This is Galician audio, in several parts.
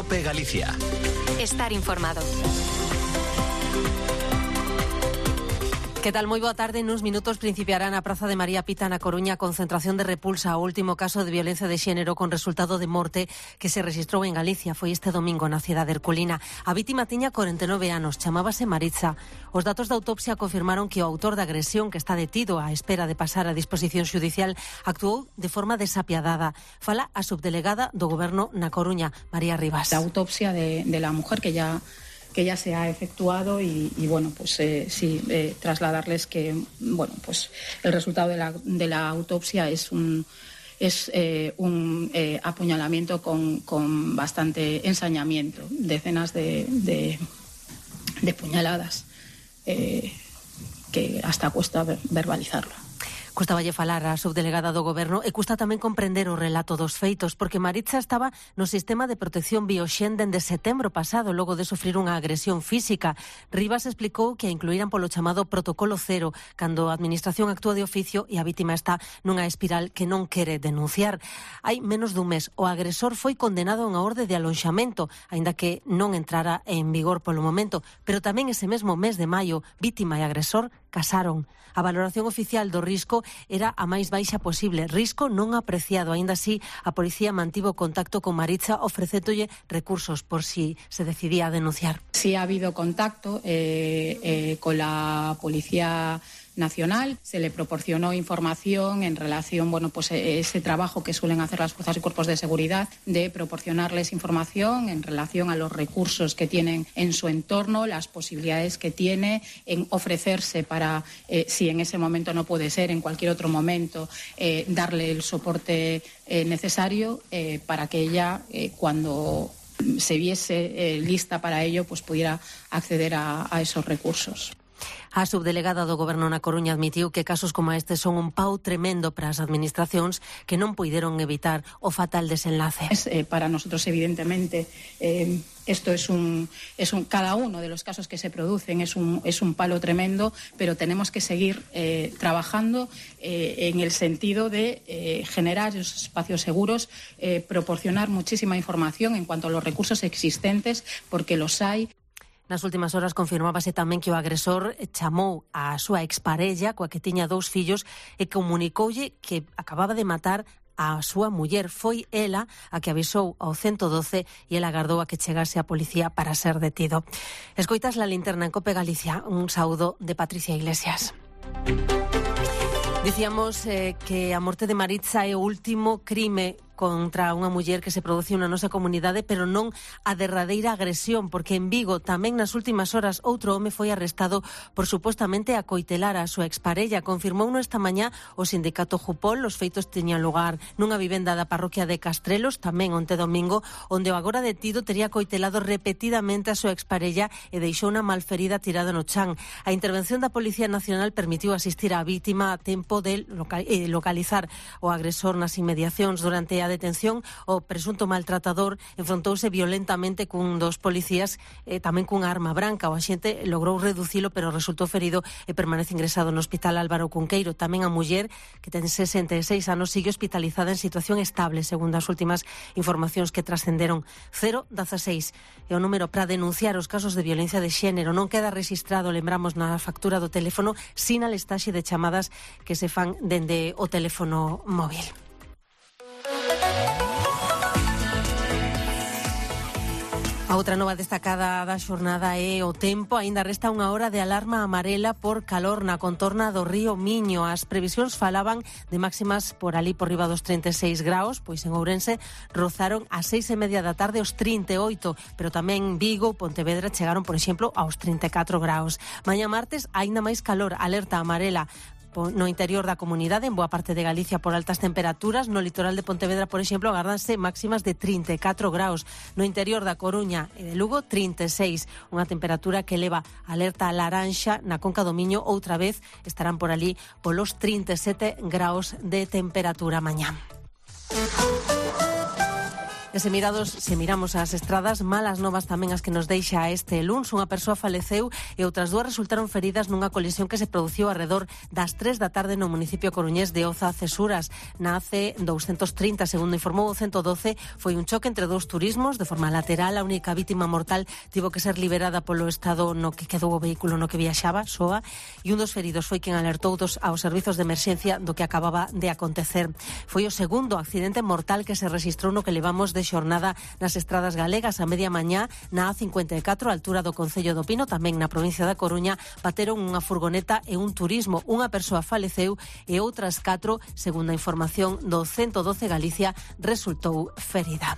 COPE Galicia. Estar informado. Que tal? Moi boa tarde. Nuns minutos principiará na Praza de María Pita na Coruña a concentración de repulsa ao último caso de violencia de xénero con resultado de morte que se rexistrou en Galicia. Foi este domingo na cidade herculina. A vítima tiña 49 anos, chamábase Maritza. Os datos da autopsia confirmaron que o autor da agresión, que está detido á espera de pasar a disposición xudicial, actuou de forma desapiadada. Fala a subdelegada do Goberno na Coruña, María Rivas. La autopsia de la mujer que ya se ha efectuado y bueno, pues trasladarles que bueno, pues el resultado de la autopsia es un apuñalamiento con bastante ensañamiento, decenas de puñaladas que hasta cuesta verbalizarlo. Custaballe falar a subdelegada do Goberno e custa tamén comprender o relato dos feitos, porque Maritza estaba no sistema de protección Bioxen dende setembro pasado, logo de sufrir unha agresión física. Rivas explicou que a incluíran polo chamado protocolo cero, cando a administración actúa de oficio e a vítima está nunha espiral que non quere denunciar. Hai menos dun mes, o agresor foi condenado a unha orde de alonxamento, aínda que non entrara en vigor polo momento, pero tamén ese mesmo mes de maio, vítima e agresor casaron. A valoración oficial do risco era a máis baixa posible, risco non apreciado. Aínda así, a policía mantivo contacto con Maritza ofrecéndolle recursos por si se decidía a denunciar. Sí ha habido contacto con la Policía Nacional, se le proporcionó información en relación, bueno, pues ese trabajo que suelen hacer las fuerzas y cuerpos de seguridad, de proporcionarles información en relación a los recursos que tienen en su entorno, las posibilidades que tiene en ofrecerse para, si en ese momento no puede ser, en cualquier otro momento, darle el soporte necesario para que ella, cuando se viese lista para ello, pues pudiera acceder a esos recursos. A subdelegada do Goberno na Coruña admitiu que casos como este son un pau tremendo para as administracións que non puideron evitar o fatal desenlace. Para nosotros, evidentemente, esto es cada uno de los casos que se producen es un palo tremendo, pero tenemos que seguir trabajando en el sentido de generar esos espacios seguros, proporcionar muchísima información en cuanto a los recursos existentes, porque los hay. Nas últimas horas confirmábase tamén que o agresor chamou a súa exparella, coa que tiña 2 fillos, e comunicoulle que acababa de matar a súa muller. Foi ela a que avisou ao 112 e ela agardou a que chegase a policía para ser detido. Escoitas La Linterna en COPE Galicia. Un saúdo de Patricia Iglesias. Dicíamos que a morte de Maritza é o último crime contra unha muller que se produciu na nosa comunidade, pero non a derradeira agresión, porque en Vigo tamén nas últimas horas outro home foi arrestado por supostamente acoitelar a súa exparella. Confirmouno esta mañá o sindicato Jupol. Os feitos tiñan lugar nunha vivenda da parroquia de Castrelos, tamén onte domingo, onde o agora detido tería acoitelado repetidamente a súa exparella e deixou unha malferida tirada no chan. A intervención da Policía Nacional permitiu asistir á vítima a tempo de localizar o agresor nas inmediacións. Durante a detención, o presunto maltratador enfrontouse violentamente cun dos policías, tamén cunha arma branca. O axente logrou reducilo, pero resultou ferido e permanece ingresado no Hospital Álvaro Cunqueiro. Tamén a muller, que ten 66 anos, sigue hospitalizada en situación estable, segundo as últimas informacións que trascenderon. 016 é o número para denunciar os casos de violencia de xénero. Non queda registrado, lembramos, na factura do teléfono, sin a listaxe de chamadas que se fan dende o teléfono móvil. A outra nova destacada da xornada é o tempo. Aínda resta unha hora de alarma amarela por calor na contorna do río Miño. As previsións falaban de máximas por ali por riba dos 36 graus, pois en Ourense rozaron ás 6:30 da tarde os 38, pero tamén Vigo, Pontevedra chegaron, por exemplo, aos 34 graus. Mañá martes, aínda máis calor, alerta amarela no interior da comunidade, en boa parte de Galicia por altas temperaturas. No litoral de Pontevedra, por exemplo, agárdanse máximas de 34 graus. No interior da Coruña e de Lugo, 36. Unha temperatura que eleva alerta laranxa. Na Conca do Miño, outra vez, estarán por ali polos 37 graus de temperatura mañá. E se miramos as estradas, malas novas tamén as que nos deixa este luns. Unha persoa faleceu e outras dúas resultaron feridas nunha colisión que se produciu arredor das 3 da tarde no municipio coruñés de Oza, Cesuras. Na AC230, segundo informou o 112, foi un choque entre dous turismos de forma lateral. A única vítima mortal tivo que ser liberada polo estado no que quedou o vehículo no que viaxaba, soa, e un dos feridos foi quen alertou aos servizos de emerxencia do que acababa de acontecer. Foi o segundo accidente mortal que se registrou no que levamos de xornada nas estradas galegas. A media mañá na A54, a altura do Concello do Pino, tamén na provincia da Coruña, bateron unha furgoneta e un turismo. Unha persoa faleceu e outras 4, segundo a información do 112 Galicia, resultou ferida.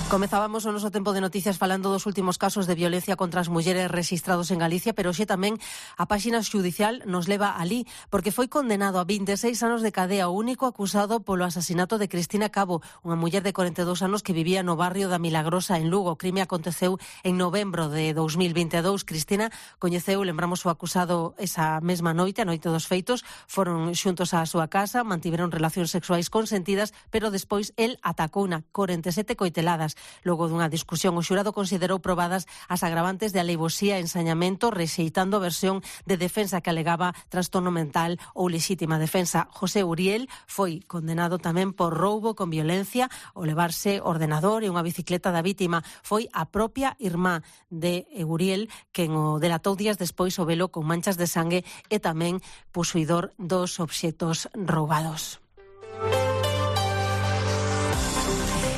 Comezábamos o noso tempo de noticias falando dos últimos casos de violencia contra as mulleres rexistrados en Galicia, pero hoxe tamén a páxina xudicial nos leva alí, porque foi condenado a 26 anos de cadea o único acusado polo asasinato de Cristina Cabo, unha muller de 42 anos que vivía no barrio da Milagrosa, en Lugo. O crime aconteceu en novembro de 2022. Cristina coñeceu, lembramos, o acusado esa mesma noite, a noite dos feitos. Foron xuntos á súa casa, mantiveron relacións sexuais consentidas, pero despois el atacouna 47 coiteladas. Logo dunha discusión, o xurado considerou probadas as agravantes de alevosía e ensañamento, rexeitando a versión de defensa que alegaba trastorno mental ou lexítima defensa. José Uriel foi condenado tamén por roubo con violencia, o levarse ordenador e unha bicicleta da vítima. Foi a propia irmá de Uriel quen o delatou días despois o velo con manchas de sangue e tamén posuidor dos obxectos roubados.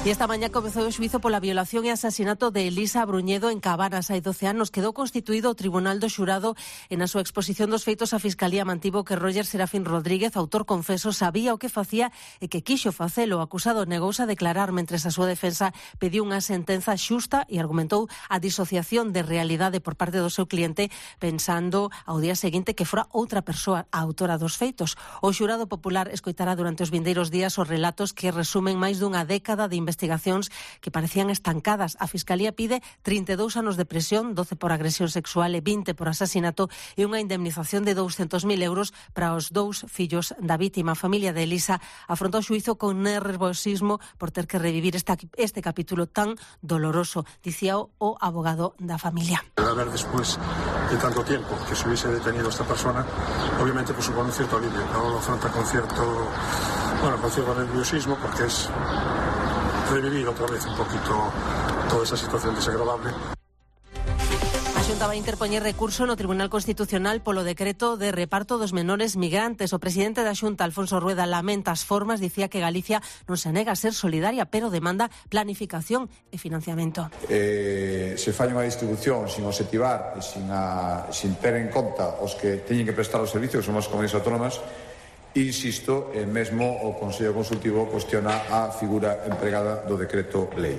E esta mañá comezou o xuízo pola violación e asasinato de Elisa Bruñedo en Cabanas. Hai 12 anos quedou constituído o Tribunal do Xurado e na súa exposición dos feitos a Fiscalía mantivo que Roger Serafín Rodríguez, autor confeso, sabía o que facía e que quixo facelo. O acusado negouse a declarar, mentres a súa defensa pediu unha sentenza xusta e argumentou a disociación de realidade por parte do seu cliente, pensando ao día seguinte que fora outra persoa a autora dos feitos. O xurado popular escoitará durante os vindeiros días os relatos que resumen máis dunha década de investigacións que parecían estancadas. A Fiscalía pide 32 anos de prisión, 12 por agresión sexual e 20 por asasinato, e unha indemnización de 200.000 euros para os dous fillos da vítima. A familia de Elisa afrontou o xuízo con nervosismo por ter que revivir este capítulo tan doloroso, dicía o abogado da familia. A ver, después de tanto tiempo que se hubiese detenido esta persona, obviamente pues supone un cierto alivio. Ahora lo afronta con cierto nerviosismo, porque es revivir otra vez un poquito toda esa situación desagradable. A Xunta vai interpoñer recurso no Tribunal Constitucional polo decreto de reparto dos menores migrantes. O presidente da Xunta, Alfonso Rueda, lamenta as formas, dicía que Galicia non se nega a ser solidaria, pero demanda planificación e financiamento. Se fai unha distribución sin obxectivar e sin ter en conta os que teñen que prestar os servicios, que son as comunidades autónomas, insisto, mesmo o Consello Consultivo cuestiona a figura empregada do decreto lei.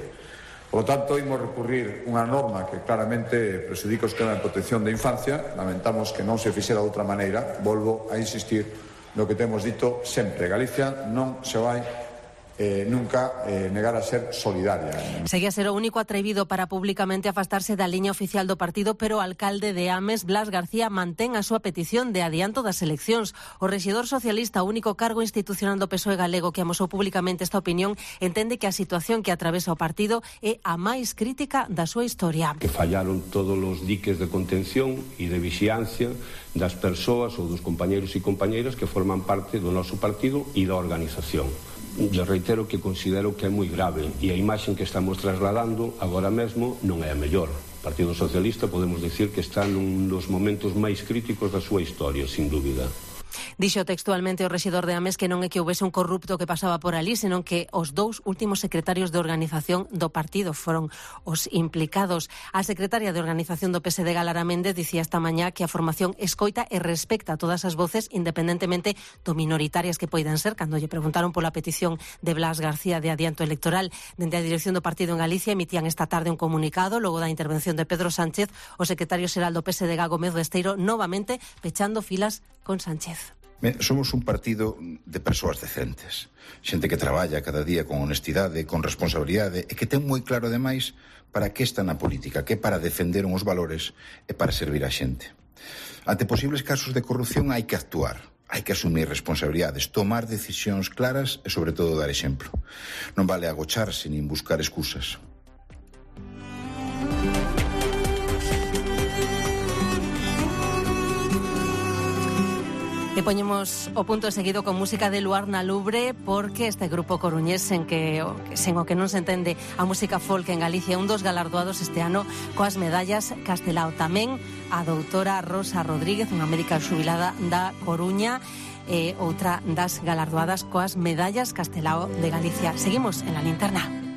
Por lo tanto, imos recurrir unha norma que claramente presudica o sistema de protección da infancia. Lamentamos que non se fixera de outra maneira. Volvo a insistir no que temos dito sempre. Galicia non se vai nunca negar a ser solidaria. Seguía a ser o único atrevido para públicamente afastarse da liña oficial do partido, pero o alcalde de Ames, Blas García, mantén a súa petición de adianto das eleccións. O rexedor socialista, o único cargo institucional do PSOE galego que amosou públicamente esta opinión, entende que a situación que atravesa o partido é a máis crítica da súa historia. Que fallaron todos os diques de contención e de vixiancia das persoas ou dos compañeiros e compañeiras que forman parte do noso partido e da organización. Le reitero que considero que é moi grave e a imaxe que estamos trasladando agora mesmo non é a mellor. O Partido Socialista podemos dicir que está nun dos momentos máis críticos da súa historia, sin dúbida. Dixo textualmente o rexedor de Ames que non é que houvese un corrupto que pasaba por ali, senón que os dous últimos secretarios de organización do partido foron os implicados. A secretaria de organización do PSD, Galara Méndez, dicía esta mañá que a formación escoita e respecta todas as voces, independentemente do minoritarias que poidan ser. Cando lle preguntaron pola petición de Blas García de adianto electoral, dende a dirección do partido en Galicia emitían esta tarde un comunicado logo da intervención de Pedro Sánchez, o secretario xeral do PSD, Gómez Besteiro, novamente pechando filas con Sánchez. Somos un partido de persoas decentes, xente que traballa cada día con honestidade, con responsabilidade e que ten moi claro ademais para que está na política, que é para defender uns valores e para servir a xente. Ante posibles casos de corrupción hai que actuar. Hai que asumir responsabilidades, tomar decisións claras e, sobre todo, dar exemplo. Non vale agocharse nin buscar excusas. E poñemos o punto seguido con música de Luar na Lubre, porque este grupo coruñés sen o que non se entende a música folk en Galicia, un dos galardoados este ano coas medallas Castelao. Tamén a doutora Rosa Rodríguez, unha médica xubilada da Coruña, outra das galardoadas coas medallas Castelao de Galicia. Seguimos en La Linterna.